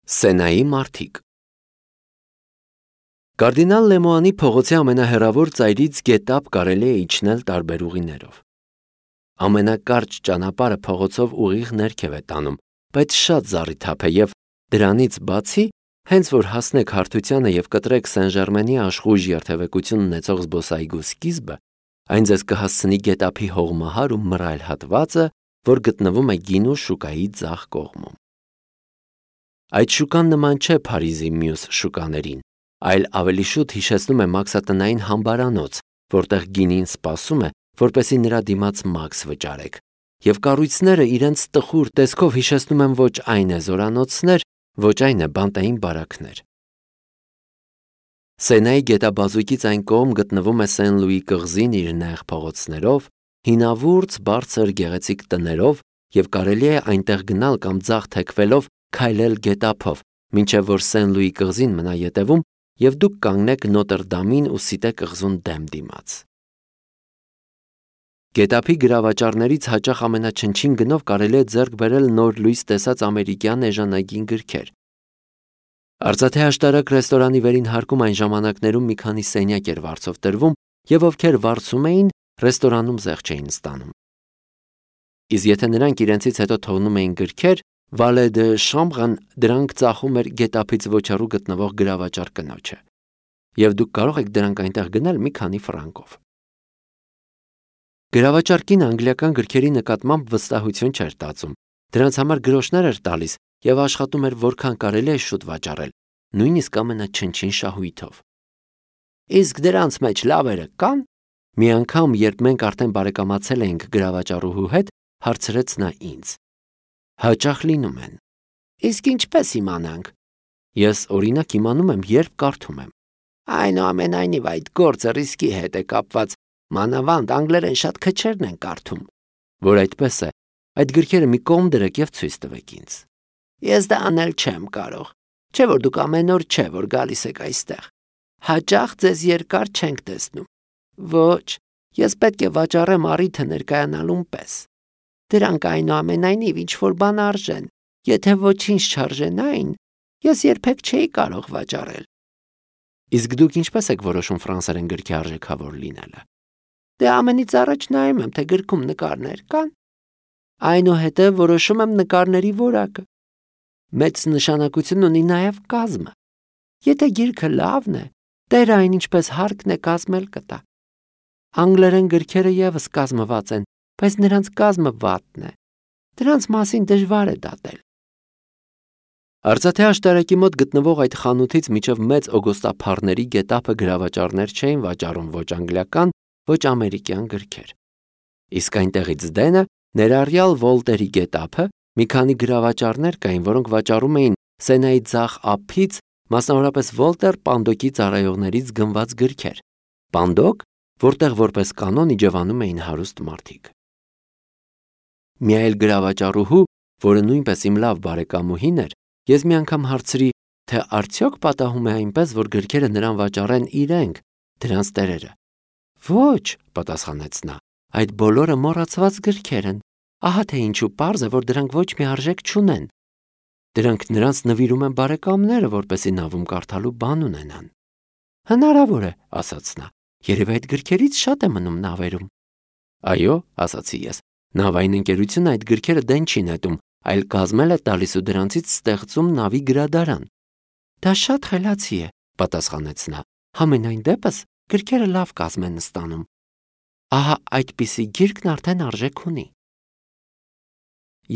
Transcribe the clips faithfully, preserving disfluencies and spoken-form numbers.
Սենայի մարդիկ Կարդինալ Լեմոանի փողոցի ամենահեռավոր ծայրից գետափ կարելի է իջնել տարբեր ուղիներով։ Ամենակարճ ճանապարհը փողոցով ուղիղ ներքև է տանում, բայց շատ զառիթափ է և դրանից բացի, հենց որ հասնեք հարթությանը և կտրեք Սեն-Ժերմենի աշխույժ երթևեկություն ունեցող զբոսայգու սկիզբը, այն ձեզ կհասցնի գետափի հողմահար ու մռայլ հատվածը, որ գտնվում է գինու շուկայի ձախ կողմում։ Այդ շուկան նման չէ Փարիզի մյուս շուկաներին, այլ ավելի շուտ հիշեցնում է մաքսատնային համբարանոց, որտեղ գինին սպասում է, որպեսզի նրա դիմաց մաքս վճարեք, և կառույցները իրենց տխուր տեսքով հիշեցնում են ոչ այն է զորանոցներ, ոչ այն է բանտային բարաքներ։ Սենայի գետաբազուկից այն կողմ գտնվում է Սեն-Լուի կղզին իր նեղ փողոցներով, հինավուրց, բարձր, գեղեցիկ տներով, և կարելի է այնտեղ գնալ կամ ձախ թեքվելով քայլել գետափով, մինչև որ Սեն-Լուի կղզին մնա ետևում, և դուք կանգնեք Նոտրդամին ու Սիտե կղզուն դեմ դիմաց։ Գետափի գրավաճառներից հաճախ ամենաչնչին գնով կարելի է ձեռք բերել նոր լույս տեսած ամերիկյան էժանագին գրքեր։ Արծաթե աշտարակ ռեստորանի վերին հարկում այն ժամանակներում մի քանի սենյակ էր վարձով տրվում, և ովքեր վարձում էին, ռեստորանում զեղ չէին ստանում։ Իսկ եթե նրանք իրենցից հետո թողնում էին գրքեր, Վալե դե Շամբրն դրանք ծախում էր գետափից ոչ հեռու գտնվող գրավաճառ կնոջը, և դուք կարող եք դրանք այնտեղ գնել մի քանի ֆրանկով։ Գրավաճառ կինը անգլիական գրքերի նկատմամբ վստահություն չէր տածում, դրանց համար գրոշներ էր տալիս և աշխատում էր որքան կարելի է շուտ վաճառել, նույնիսկ ամենաչնչին շահույթով։ Իսկ դրանց մեջ լավերը կան։ Մի անգամ, երբ մենք արդեն բարեկամացել էինք գրավաճառուհու հետ, հարցրեց նա ինձ. Հաճախ լինում են։ Իսկ ինչպես իմանանք։ Ես օրինակ իմանում եմ, երբ կարդում եմ։ Այնուամենայնիվ այդ գործը ռիսկի հետ է կապված, մանավանդ անգլերեն շատ քչերն են կարդում։ Որ այդպես է, այդ գրքերը մի կողմ դրեք և ցույց տվեք ինձ։ Ես դա անել չեմ կարող, չէ որ դուք ամեն օր չէ, որ գալիս եք այստեղ։ Հաճախ ձեզ երկար չենք տեսնում։ Ոչ, ես պետք է վաճառեմ առիթը ներկայանալուն պես։ Դրանք այնուամենայնիվ ինչ-որ բան արժեն, եթե ոչինչ չարժենային, ես երբեք չէի կարող վաճառել։ Իսկ դուք ինչպես եք որոշում ֆրանսերեն գրքի արժեքավոր լինելը։ Դե ամենից առաջ նայում եմ, թե գրքում նկարներ կան։ Այնուհետև որոշում եմ նկարների որակը։ Մեծ նշանակություն ունի նաև կազմը։ Եթե գիրքը լավն է, տերը այն ինչպես հարկն է կազմել կտա։ Անգլերեն գրքերը ևս կազմված են, բայց նրանց կազմը վատն է։ Դրանց մասին դժվար է դատել։ Արծաթե աշտարակի մոտ գտնվող այդ խանութից մինչև մեծ օգոստափառների գետափը գրավաճառներ չէին վաճառում ոչ անգլիական, ոչ ամերիկյան գրքեր։ Իսկ այնտեղից դենը, ներառյալ Վոլտերի գետափը, մի քանի գրավաճառներ կային, որոնք վաճառում էին Սենայի ձախ ափից, մասնավորապես Վոլտեր Պանդոկի ծառայողներից գնված գրքեր։ Պանդոկ, որտեղ որպես կանոն իջևանում էին հարուստ մարդիկ։ Մի այլ գրավաճառուհու, որը նույնպես իմ լավ բարեկամուհին էր, ես մի անգամ հարցրի, թե արդյոք պատահում է այնպես, որ գրքերը նրան վաճառեն իրենք, դրանց տերերը։ Ոչ, պատասխանեց նա, այդ բոլորը մոռացված գրքեր են։ Ահա թե ինչու պարզ է, որ դրանք ոչ մի արժեք չունեն։ Դրանք նրանց նվիրում են բարեկամները, որպեսզի նավում կարդալու բան ունենան։ Հնարավոր է, ասաց նա, երևի այդ գրքերից շատ է մնում նավերում։ Այո, ասացի ես, նավային ընկերությունը այդ գրքերը դեն չի նետում, այլ կազմել է տալիս ու դրանցից ստեղծում նավի գրադարան։ Դա շատ խելացի է, պատասխանեց նա, համենայն դեպս գրքերը լավ կազմ են ստանում։ Ահա այդպիսի գիրքն արդեն արժեք ունի։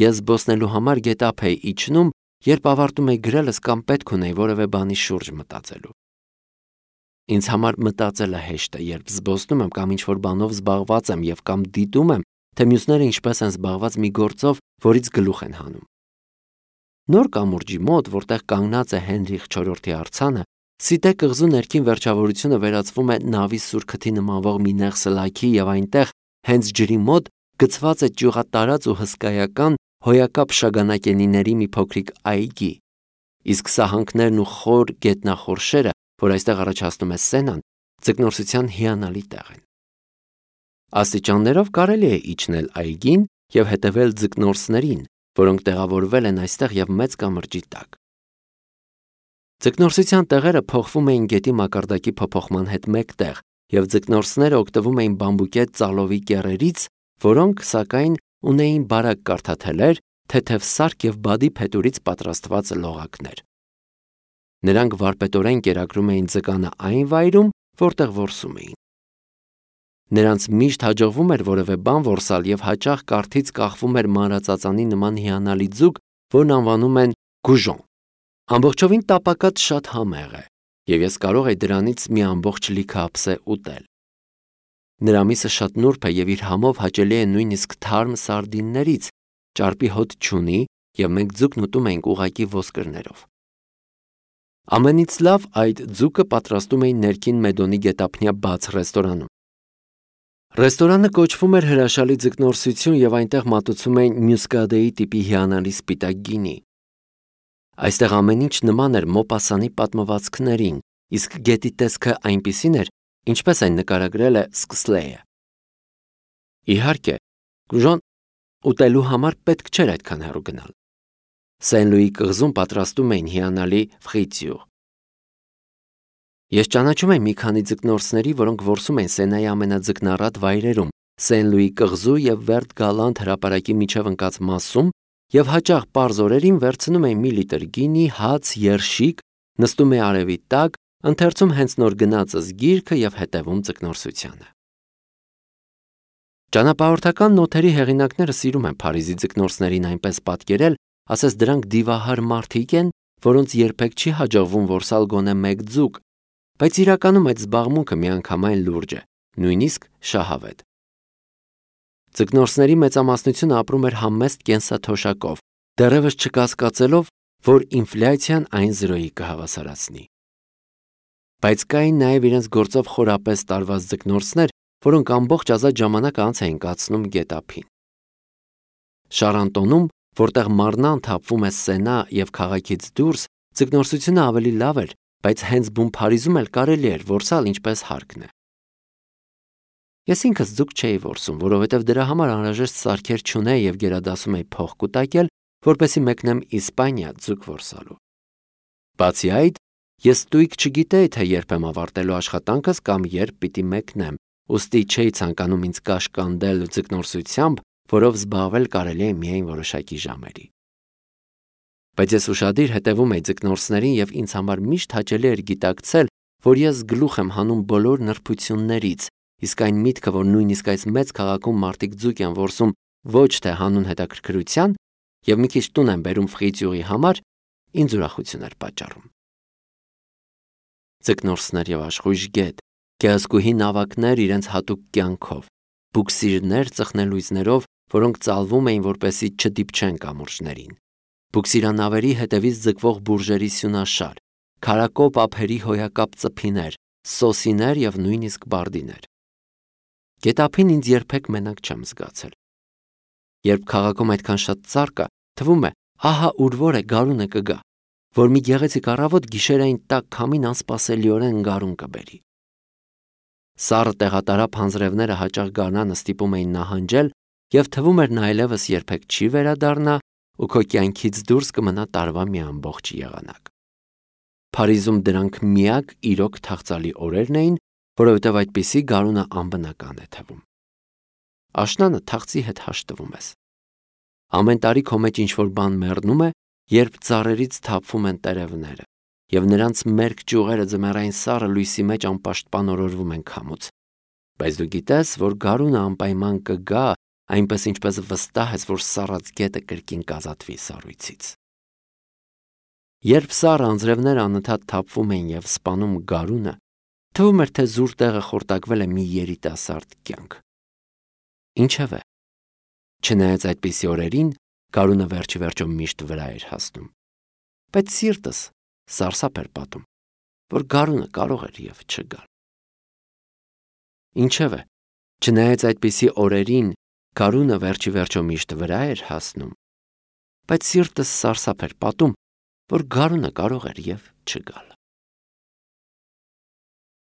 Ես զբոսնելու համար գետափ էի իջնում, երբ ավարտում էի գրելս կամ պետք ունեի որևէ բանի շուրջ մտածելու։ Ինձ համար մտածելը հեշտ է, երբ զբոսնում եմ կամ ինչ-որ բանով զբաղված եմ և կամ դիտում եմ, թե մյուսները ինչպես են զբաղված մի գործով, որից գլուխ են հանում։ Նոր կամուրջի մոտ, որտեղ կանգնած է Հենրիխ չորրորդի արձանը, Սիտե կղզու ներքին վերջավորությունը վերածվում է նավի սուր քթի նմանվող մի նեղ սլաքի և այնտեղ, հենց ջրի մոտ, գցված է ճյուղատարած ու հսկայական հոյակապ շագանակենիների մի փոքրիկ այգի։ Իսկ սահանքներն ու խոր գետնախորշերը, որ այստեղ առաջացնում է Սենան, ձկնորսության հիանալի տեղ են։ Աստիճաններով կարելի է իջնել այգին և հետևել ձկնորսներին, որոնք տեղավորվել են այստեղ և մեծ կամրջի տակ։ Ձկնորսության տեղերը փոխվում էին գետի մակարդակի փոփոխման հետ մեկտեղ, եւ ձկնորսները օգտվում էին բամբուկե ծալովի կեռերից, որոնք, սակայն, ունեին բարակ կարթաթելեր, թեթև սարք եւ բադի փետուրից պատրաստված լողակներ։ Նրանք վարպետորեն կերակրում էին ձկանը այն վայրում, որտեղ որսում էին։ Նրանց միշտ հաջողվում էր որևէ բան որսալ եւ հաճախ կարթից կախվում էր մանրածածանի նման հիանալի ձուկ, որն անվանում են գուժոն։ Ամբողջովին տապակած շատ համեղ է, եւ ես կարող եի դրանից մի ամբողջ լիքը ափսե ուտել։ Նրա միսը շատ նուրբ է եւ իր համով հաճելի է նույնիսկ թարմ սարդիններից, ճարպի հոտ չունի եւ մենք ձուկն ուտում ենք ուղակի ոսկրներով։ Ամենից լավ այդ ձուկը պատրաստում էին ներքին Մեդոնի գետափնյա բաց ռեստորանում։ Ռեստորանը կոչվում էր հրաշալի ձկնորսություն եւ այնտեղ մատուցում էին մյուսկադեի տիպի հիանալի սպիտակ գինի։ Այստեղ ամեն ինչ նման էր Մոպասանի պատմվածքներին, իսկ գետի տեսքը այնպիսին էր, ինչպես այն նկարագրել է Սկսլեյը։ Իհարկե, Գուժոն ուտելու համար պետք չէր այդքան հեռու գնալ։ Սեն-Լուի կղզում պատրաստում էին հիանալի ֆրիտյուր։ Ես ճանաչում եմ մի քանի ձկնորսների, որոնք որսում են Սենայի ամենաձկնառատ վայրերում, Սեն-Լուի կղզու եւ Վերտ Գալանտ հրապարակի միջև ընկած մասում, եւ հաճախ պարզ օրերին վերցնում էին մի լիտր գինի, հաց, երշիկ, նստում է արևի տակ, ընթերցում հենց նոր գնածս գիրքը եւ հետևում ձկնորսությանը։ Ճանապարհորդական նոթերի հեղինակները սիրում են Փարիզի ձկնորսներին այնպես պատկերել, ասես դրանք դիվահար մարդիկ են, որոնց երբեք չի հաջողվում որսալ գոնե մեկ ձուկ, բայց իրականում այդ զբաղմունքը միանգամայն լուրջ է, նույնիսկ շահավետ։ Ձկնորսների մեծամասնությունը ապրում էր համեստ կենսաթոշակով, դեռևս չկասկածելով, որ ինֆլյացիան այն զրոյի կհավասարացնի։ Բայց կային նաև իրենց գործով խորապես տարված ձկնորսներ, որոնք ամբողջ ազատ ժամանակը անց էին կացնում գետափին։ Շարանտոնում, որտեղ մարնան թափվում է Սենա եւ քաղաքից դուրս, ձկնորսությունը ավելի լավ էր, բայց հենց բուն Փարիզում էլ կարելի էր որսալ ինչպես հարկն է։ Ես ինքս ձուկ չէի որսում, որովհետև դրա համար անհրաժեշտ սարքեր չունեի եւ գերադասում էի փող կուտակել, որպեսզի մեկնեմ Իսպանիա ձուկ որսալու։ Բացի այդ, ես ստույգ չգիտեի, թե երբ եմ ավարտելու աշխատանքս կամ երբ պիտի մեկնեմ, ուստի չէի ցանկանում ինձ կաշկանդել ձկնորսությամբ, որով զբաղվել կարելի է միայն որոշակի ժամերի։ Բայց ես ուշադիր հետևում էի ձկնորսներին եւ ինձ համար միշտ հաճելի էր գիտակցել, որ ես գլուխ եմ հանում բոլոր նրբություններից, իսկ այն միտքը, որ նույնիսկ այս մեծ քաղաքում մարդիկ ձուկ են որսում ոչ թե հանուն հետաքրքրության եւ մի քիչ տուն են բերում ֆրիտյուրի համար, ինձ ուրախություն էր պատճառում։ Ձկնորսներ եւ աշխույժ գետ, գեղեցկուհի նավակներ իրենց հատուկ կյանքով, բուքսիրներ ծխնելույզներով, որոնք ծալվում էին, որպեսզի չդիպչեն կամուրջներին, բուքսիրանավերի հետևից ձգվող բուրժերի սյունաշար, քարակոպ ափերի հոյակապ ծփիներ, սոսիներ եւ նույնիսկ բարդիներ։ Գետափին ինձ երբեք մենակ չեմ զգացել։ Երբ քաղաքում այդքան շատ ծառ կա, թվում է, ահա ուր որ է գարունը կգա, որ մի գեղեցիկ առավոտ գիշերային տաք քամին անսպասելիորեն գարուն կբերի։ Սառը տեղատարապ հանձրևները հաճախ գարնանը ստիպում էին նահանջել եւ թվում էր նա այլևս երբեք չի վերադառնա ու քո կյանքից դուրս կմնա տարվա մի ամբողջ եղանակ։ Փարիզում դրանք միակ իրոք թախծալի օրերն էին, որովհետև այդպիսի գարունը անբնական է թվում։ Աշնանը թախծի հետ հաշտվում ես։ Ամեն տարի քո մեջ ինչ-որ բան մեռնում է, երբ ծառերից թափվում են տերևները, եւ նրանց մերկ ճյուղերը ձմեռային սառը լույսի մեջ անպաշտպան օրորվում են քամուց։ Բայց դու գիտես, որ գարունը անպայման կգա, այնպես ինչպես վստահ ես, որ սառած գետը կրկին կազատվի սառույցից։ Երբ սառը անձրևները անընդհատ թափվում են եւ սպանում գարունը, թվում էր, թե զուր տեղը խորտակվել է մի երիտասարդ կյանք։ Ինչևէ, չնայած այդպիսի օրերին, գարունը վերջի վերջո միշտ վրա էր հասնում, բայց սիրտս սարսափ էր պատում, որ գարունը կարող էր եւ չգալ։ Ինչևէ, չնայած այդպիսի օրերին, գարունը վերջի վերջո միշտ վրա էր հասնում, բայց սիրտս սարսափ էր պատում, որ գարունը կարող էր եւ չգալ։